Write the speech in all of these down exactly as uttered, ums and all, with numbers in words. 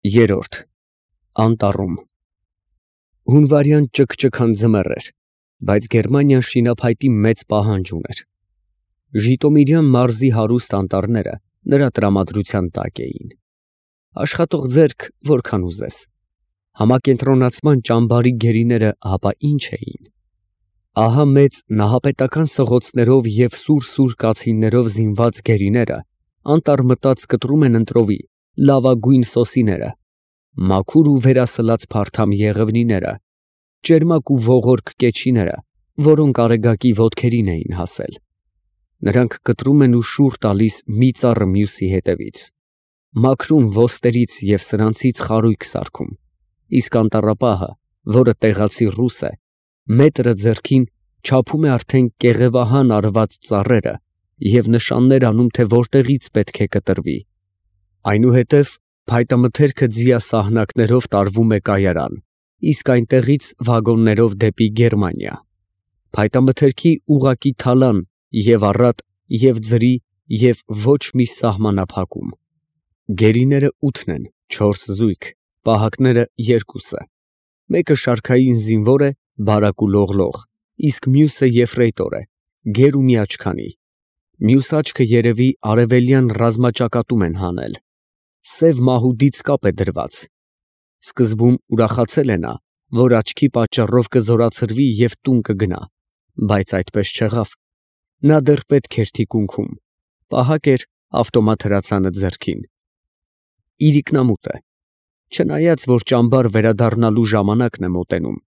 Երորդ Անտառում Հունվարյան ճգճգան ձմեռ էր, բայց Գերմանիան շինափայտի մեծ պահանջ ուներ. Ժիտոմիրյան մարզի հարուստ անտառները նրա տրամադրության տակ էին. աշխատող ձեռք որքան ուզես, համակենտրոնացման ճամբարի գերիները հապա ինչ էին. ահա մեծ նահապետական սղոցներով և սուր-սուր կացիններով զինված գերիները անտառ մտած կտրում են ընտրովի լավագույն սոսիները, մաքուր ու վերասլած փարթամ եղևնիները, ճերմակ ու ողորկ կեչիները, որոնք արեգակի ոտքերին էին հասել. նրանք կտրում են ու շուռ տալիս մի ծառը մյուսի հետևից, մաքրում ոստերից և սրանցից խարույկ սարքում, իսկ անտառապահը, որը տեղացի ռուս է, մետրը ձեռքին չափում է արդեն կեղևահան արված ծառերը և նշաններ անում, թե որտեղից պետք է կտրվի. այնուհետև փայտամթերքը ձիա սահնակներով տարվում է կայարան, իսկ այնտեղից վագոններով դեպի Գերմանիա. փայտամթերքի ուղղակի թալան և առատ և ձրի և ոչ մի սահմանափակում. գերիները ութն են, չորս զույգ, պահակները երկուսը, մեկը շարքային զինվոր է, բարակ ու լողլող, իսկ մյուսը եֆրեյտոր է, գեր ու միաչքանի, մյուս աչքը երևի արևելյան ռազմաճակատում են հանել, սև մահուդից կապ է դրված. սկզբում ուրախացել է նա, որ աչքի պատճառով կզորացրվի և տուն կգնա, բայց այդպես չեղավ. նա դեռ պետք էր թիկունքում, պահակ էր ավտոմատ հրացանը ձեռքին. իրիկնամուտ է, չնայած որ ճամբար վերադառնալու ժամանակն է մոտենում,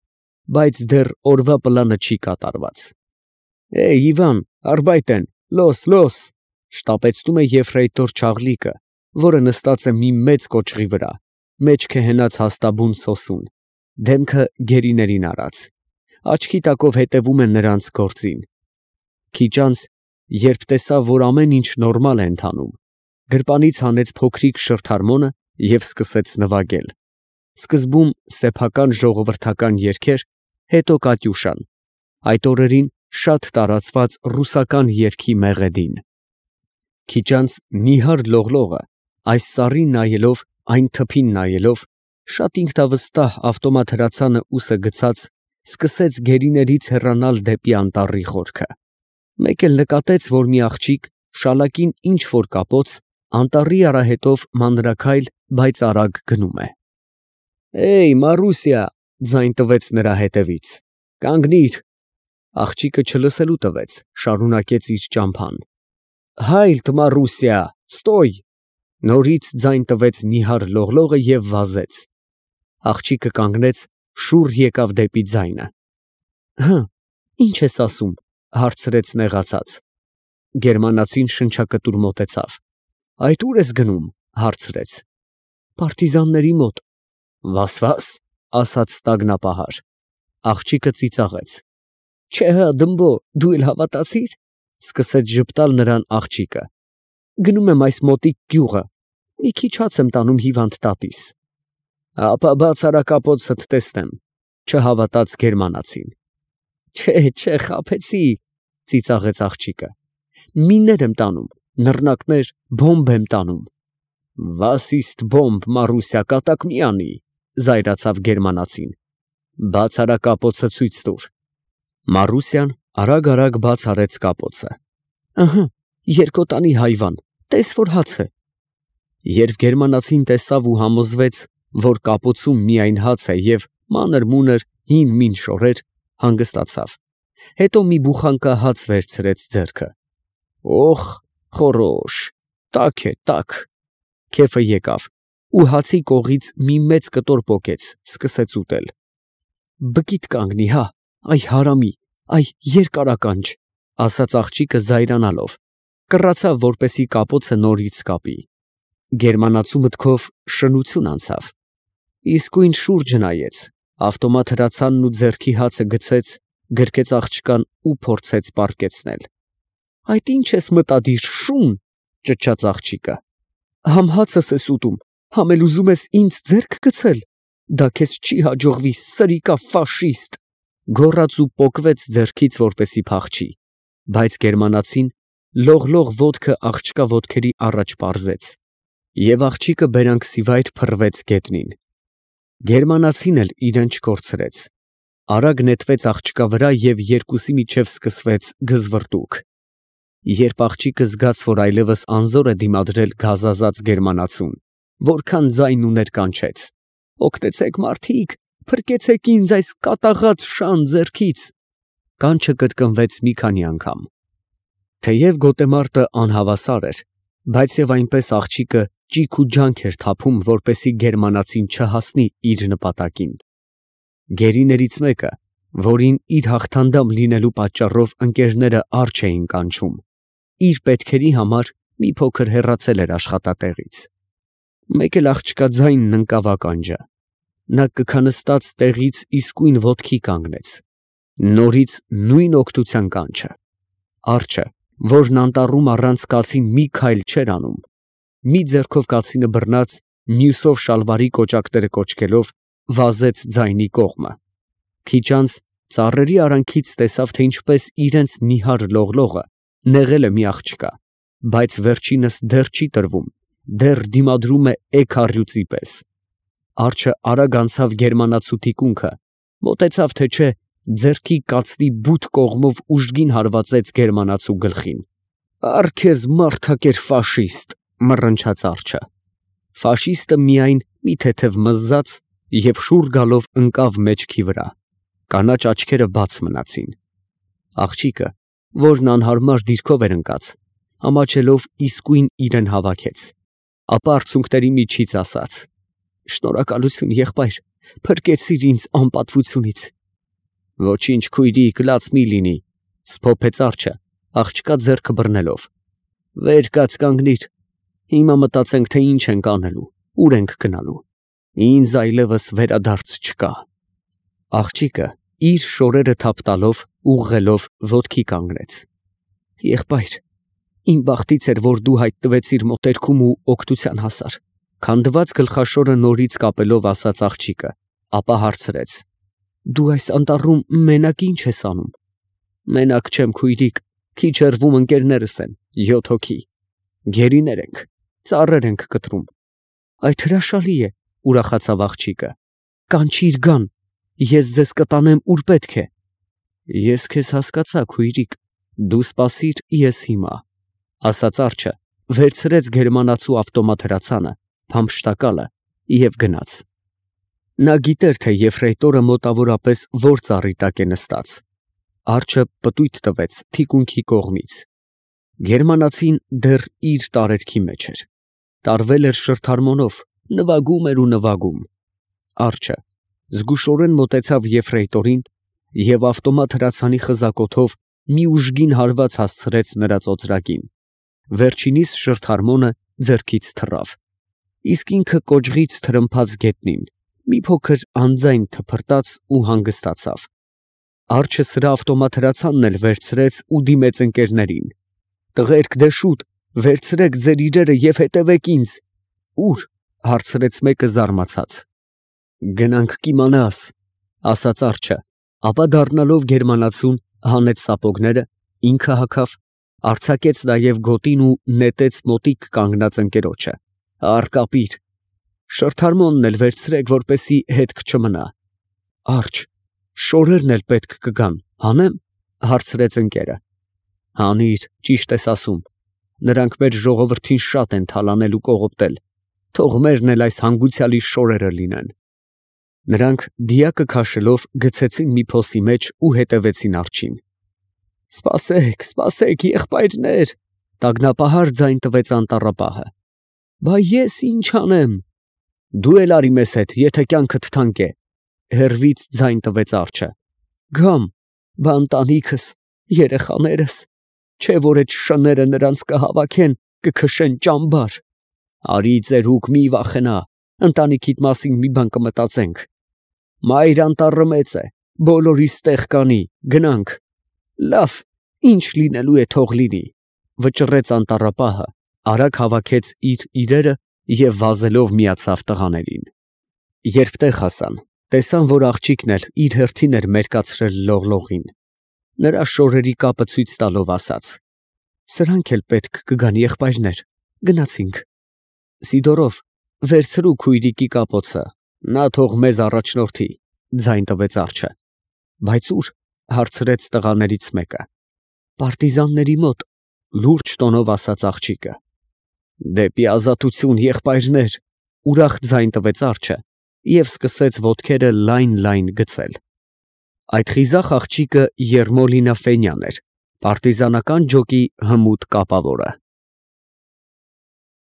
բայց դեռ օրվա պլանը չի կատարված. «Է՜յ, Իվան, արբայտեն, լոս, լոս», շտապեցնում է եֆրեյտոր Չաղլիկը, որը նստած է մի մեծ կոճղի վրա, մեջքը հենած հաստաբուն սոսուն, դեմքը գերիներին արած, աչքի տակով հետևում է նրանց գործին. քիչ անց, երբ տեսավ, որ ամեն ինչ նորմալ է ընթանում, գրպանից հանեց փոքրիկ շրթարմոնը և սկսեց նվագել, սկզբում սեփական ժողովրդական երգեր, հետո կատյուշան, այդ օրերին շատ տարածված ռուսական երգի մեղեդին. քիչ անց նիհար լողլողը, այս ծառին նայելով, այն թփին նայելով, շատ ինքնավստահ ավտոմատ հրացանը ուսը գցած, սկսեց գերիներից հեռանալ դեպի անտառի խորքը. մեկ էլ նկատեց, որ մի աղջիկ, շալակին ինչ֊որ կապոց, անտառի արահետով մանրաքայլ, բայց արագ գնում է. «Է՜յ, Մարուսյա», ձայն տվեց նրա հետևից, «կանգնիր», աղջիկը չլսելու տվեց, շարունակեց իր ճամփան. «Հայլտ, Մարուսյա, ստոյ», նորից ձայն տվեց նիհար լողլողը և վազեց. աղջիկը կանգնեց, շուռ եկավ դեպի ձայնը. «Հը, ի՞նչ ես ասում», հարցրեց նեղացած. Գերմանացին շնչակտուր մոտեցավ. «Այդ ո՞ւր ես գնում», հարցրեց. «Պարտիզանների մոտ»։ «Վաս֊վաս», ասաց տագնապահար. աղջիկը ծիծաղեց. «Չէ հը, դմբո, դու էլ հավատացի՞ր», սկսեց ժպտալ նրան աղջիկը. «գնում եմ այս մոտիկ գյուղը, մի քիչ հաց եմ տանում հիվանդ տատիս»։ «Ապա բաց արա կապոցդ տեսնեմ», չհավատաց գերմանացին. «Չէ, չէ, խաբեցի», ծիծաղեց աղջիկը. «միններ եմ տանում, նռնակներ, բոմբ եմ տանում»։ «Վաս իստ բոմբ, Մարուսյա, կատակ մի անի», զայրացավ գերմանացին. «բաց արա կապոցը ցույց տուր»։ Մարուսյան արագ֊արագ բաց արեց կապոցը. «Ըհը, երկոտանի հայվան, տես որ հաց է»։ Երբ գերմանացին տեսավ ու համոզվեց, որ կապոցում միայն հաց է և մանր֊մունր հին մին շորեր, հանգստացավ, հետո մի բուխանկա հաց վերցրեց ձեռքը. «Օխ, խորոշ, տաք է, տաք»։ Քեֆը եկավ ու հացի կողից մի մեծ կտոր պոկեց, սկսեց ուտել. «Բկիդ կանգնի, հա, այ հարամի, այ երկարականջ», ասաց աղջիկը զայրանալով, կռացավ, որպեսզի կապոցը նորից կապի. գերմանացու մտքով շնություն անցավ, իսկույն շուրջը նայեց, ավտոմատ հրացանն ու ձեռքի հացը գցեց, գրկեց աղջկան ու փորձեց պառկեցնել. «Այդ ի՞նչ ես մտադիր, շուն», ճչաց աղջիկը, «համ հացս ես ուտում, համ էլ ուզում ես ինձ ձեռք գցել, դա քեզ չի հաջողվի, սրիկա ֆաշիստ», գոռաց ու պոկվեց ձեռքից, որպեսզի փախչի, բայց գերմանացին լողլող ոտքը աղջկա ոտքերի առաջ պարզեց, Եվ աղջիկը բերանքսիվայր փռվեց գետնին։ Գերմանացին էլ իրեն չկորցրեց, արագ նետվեց աղջկա վրա և երկուսի միջև սկսվեց գզվռտուք։ Երբ աղջիկը զգաց, որ այլևս անզոր է դիմադրել գազազած գերմանացուն, որքան ձայն ուներ կանչեց. «Օգնեցեք, մարդիկ, փրկեցեք ինձ այս կատաղած շան ձեռքից»։ Կանչը կրկնվեց մի քանի անգամ։ Թեև գոտեմարտը անհավասար էր, բայց և այնպես աղջիկը ճիգ ու ջանք էր թափում, որպեսզի գերմանացին չհասնի իր նպատակին։ Գերիներից մեկը, որին իր հաղթանդամ լինելու պատճառով ընկերները առջ էին կանչում, իր պետքերի համար մի փոքր հեռացել էր աշխատատեղից։ Մեկ էլ աղջկա ձայնն ընկավ ականջը։ Նա կքնստած տեղից իսկույն ոտքի կանգնեց։ Նորից նույն օգնության կանչը։ Արջը, որն անտառում առանց կացին մի քայլ չէր անում, մի ձեռքով կացինը բռնած, մյուսով շալվարի կոճակները կոճկելով, վազեց ձայնի կողմը։ Քիչ անց ծառերի արանքից տեսավ, թե ինչպես իրենց նիհար լողլողը նեղել է մի աղջկա, բայց վերջինս դեռ չի տրվում, դեռ դիմադրում է էգ առյուծի պես։ Արջը արագ անցավ գերմանացու թիկունքը, մոտեցավ թե չէ, ձեռքի կացնի բութ կողմով ուժգին հարվածեց գերմանացու գլխին։ «Առ քեզ մարդակեր ֆաշիստ», մռնչաց արջը։ Ֆաշիստը միայն մի թեթև մզզաց և շուռ գալով ընկավ մեջքի վրա։ Կանաչ աչքերը բաց մնացին։ Աղջիկը, որն անհարմար դիրքով էր ընկած, ամաչելով իսկույն իրեն հավաքեց, ապա արցունքների միջից ասաց. «Շնորհակալություն, եղբայր, փրկեցիր ինձ անպատվությունից»։ «Ոչինչ, քույրիկ, լաց մի լինի», սփոփեց արջը, աղջկա ձեռքը բռնելով։ «Վեր կաց կանգնիր, հիմա մտածենք, թե ինչ ենք անելու, ուր ենք գնալու։ Ինձ այլևս վերադարձ չկա»։ Աղջիկը իր շորերը թափ տալով, ուղղելով ոտքի կանգնեց։ «Եղբայր, իմ բախտից էր, որ դու հայտնվեցիր մոտերքում ու օգնության հասար», քանդված գլխաշորը նորից կապելով ասաց աղջիկը, ապա հարցրեց. «Դու այս անտառում մենակ ի՞նչ ես անում»։ «Մենակ չեմ, քույրիկ, քիչ հեռվում ընկերներս են, յոթ հոգի։ Գերիներ ենք, ծառեր ենք կտրում»։ «Այդ հրաշալի է», ուրախացավ աղջիկը։ «Կանչիր գան, ես ձեզ կտանեմ ուր պետք է»։ «Ես քեզ հասկացա, քույրիկ, դու սպասիր, ես հիմա», ասաց արջը, վերցրեց գերմանացու ավտոմատ հրացանը, փամփշտակալը և գնաց։ Նա գիտեր, թե եֆրեյտորը մոտավորապես որ ծառի տակ է նստած։ Արջը պտույտ տվեց թիկունքի կողմից։ Գերմանացին դեռ իր տարերքի մեջ էր։ Տարվել էր շրթարմոնով, նվագում էր ու նվագում։ Արջը զգուշորեն մոտեցավ եֆրեյտորին և ավտոմատ հրացանի խզակոթով մի ուժգին հարված հասցրեց նրա ծոծրակին։ Վերջինիս շրթարմոնը ձեռքից թռավ, իսկ ինքը կոճղից թրմփաց գետնին, մի փոքր անձայն թփրտաց ու հանգստացավ։ Արջը սրա ավտոմատ հրացանն էլ վերցրեց ու դիմեց ընկերներին. «Տղերք, դե շուտ, վերցրեք ձեր իրերը և հետևեք ինձ»։ «Ո՞ւր» հարցրեց մեկը զարմացած։ «Գնանք կիմանաս», ասաց արջը, ապա դառնալով գերմանացուն հանեց սապոգները, ինքը հագավ, արձակեց նաև գոտին ու նետեց մոտիկ կանգնած ընկերոջը. «Առ կապիր, շրթարմոնն էլ վերցրեք, որպեսզի հետք չմնա»։ «Արջ, շորերն էլ պետք կգան, հանե՞մ», հարցրեց ընկերը։ «Հանիր, ճիշտ ես ասում, նրանք մեր ժողովրդին շատ են թալանել ու կողոպտել, թող մերն էլ այս հանգուցյալի շորերը լինեն»։ Նրանք դիակը քաշելով գցեցին մի փոսի մեջ ու հետևեցին արջին։ «Սպասեք, սպասեք, եղբայրներ», տագնապահար ձայն տվեց անտառապահը։ «Բա ես ի՞նչ անեմ»։ «Դու էլ արի մեզ հետ, եթե կյանքդ թանկ է», հեռվից ձայն տվեց արջը։ «Գամ, բա ընտանիքս, երեխաներս, չէ՞ որ էդ շները նրանց կհավաքեն, կքշեն ճամբար»։ «Արի ծերուկ, մի վախենա, ընտանիքիդ մասին մի բան կմտածենք»։ «Մայր անտառը մեծ է, բոլորիս տեղ կանի, գնանք»։ «Լավ, ինչ լինելու է, թող լինի», վճռեց անտառապահը, արագ հավաքեց իր իրերը և վազելով միացավ տղաներին։ Երբ տեղ հասան, տեսան, որ աղջիկն էլ իր հերթին էր մերկացրել լողլողին։ Նրա շորերի կապը ցույց տալով ասաց. «Սրանք էլ պետք կգան, եղբայրներ, գնացինք»։ Սիդորով, վերցրու քույրիկի կապոցը, նա թող մեզ առաջնորդի, ձայն տվեց արջը։ Բայց ո՞ւր, հարցրեց տղաներից մեկը։ Պարտիզանների մոտ, լուրջ տոնով ասաց աղջիկը։ Դեպի ազատություն, եղբայրներ, ուրախ ձայն տվեց արջը և սկսեց ոտքերը լայն֊լայն գցել։ Այդ խիզախ աղջիկը Եռմոլինա Ֆենյան էր, պարտիզանական ջոկի հմուտ կապավորը։